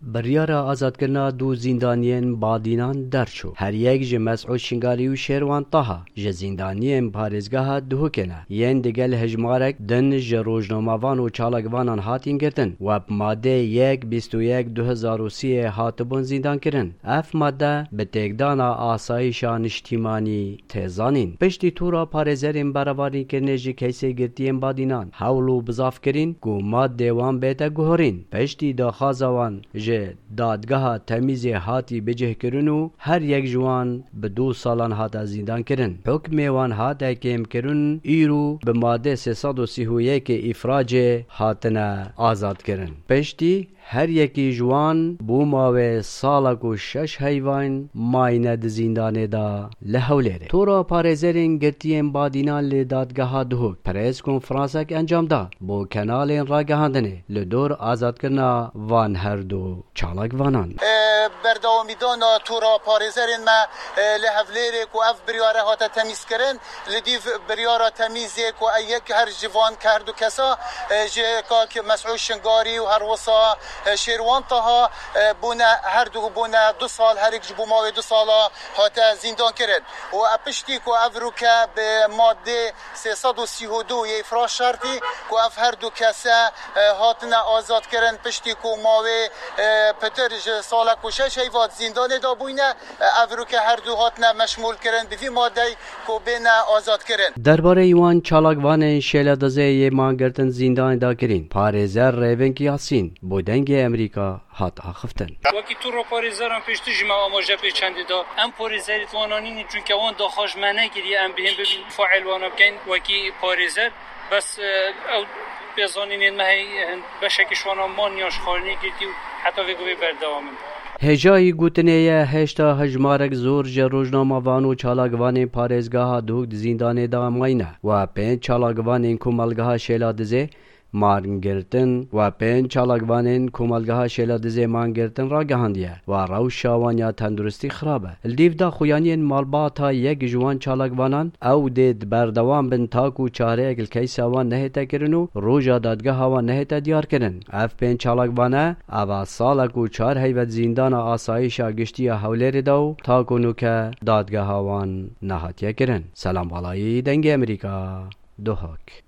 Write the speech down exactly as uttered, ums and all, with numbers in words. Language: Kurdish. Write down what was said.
Biryara azadkirina du zîndaniyên Badînan derçû. Her yek ji Mesûd Şingalî û Şêrwan Taha ji zîndaniyên parêzgeha Duhokê ne. Yên digel hejmarek din ji rojnamevan û çalakvanan hatîn girtin û bi madê yek bîst û yek du hezar û sî hatibûn zîndankirin. Ev made bi têkdana asayîşa niştîmanî tê zanîn. Piştî tora parêzerên berevanîkirinê ji keysê girtiyên Badînan hewl û bizav kirîn ku madê wan bête guhorîn. Piştî daxwaza wan ji dadgeha temîzê hatî bicihkirin û her yek ji wan bi du salan hate zîndankirin. Hukmê wan hate kêmkirin, îro bi madê sê sed û sî û yekê îfracê hatine azadkirin. Piştî her yekî ji wan bo mawê salek û şeş heyvan mayne di zîndanê de li Hewlêrê. Tora parêzerên girtiyên Badînan li dadgeha Duhok press konferansek encam da bo kenalên ragihandinê li dor azadkirina van her du çalakvanan. Berdewamîdana tora parêzerên me li Hewlêrê ku ev biryare hate temîzkirin, li dîv biryara temîzê ku ey yek her ji van ke her du kesa, e, ji kak Mesûd Şingarî û her wisa, e, Şêrwan Taha, e, bûne her du bûne du sal, her yek ji bo mawê du sala hate zîndan kirin. Û e, piştî ku ev rûke bi madê sê sed û sî û du yê îfraj şertî ku ev her du kese, e, hatine azad kirin, piştî ku mawê, e, pitir ji salek û şeş heyva di zîndanê de bûyne, e, ev rûke her du hatine meşmûl kirin bi vî madeyê ku bêne azad kirin. Derbarê wan çalakvanên şêladizê yê man girtin zîndanê de kirîn, parêzer Rêveng Yasîn bo Dengê Emerîka hat axiftin. Wekî tora parêzeran pêştir jî me amaje pê çendê da. Em parêzerê di wana nînin, çunke wan daxwaz ji me nekiriye em bihên bibîn faîl wana bikein wekî parêzer. Bes, e, ew pêzanînên me heye, hin beşekî ji wana man ya ji xwarinê girtî û heta vê gavê berdewam in. Hêjayî gotinê ye, hêşta hejmarek zor ji rojnamevan û çalakvanên parêzgeha Duhok di zîndanê de mayne. Wa pênc çalakvanên komelgeha Şêladizê man girtin, wa pênc çalakvanên komelgeha Şêladizê man girtin ragihandiye, wa rewşa wan ya tenduristî xirab e. Li dîv daxuyaniyên malbata yek ji wan çalakvanan, ew dê di berdewam bin ta ku çareyek li keysa wan nehête kirin û roja dadgeha wan nehête diyar kirin. Ev pênc çalakvane, eva salek û çar heyvet zîndana asayîşa giştî ya Hewlêrê de û ta ku nûke dadgeha wan nehatiye kirin. Selam Balayî, Dengê Emerîka, Duhok.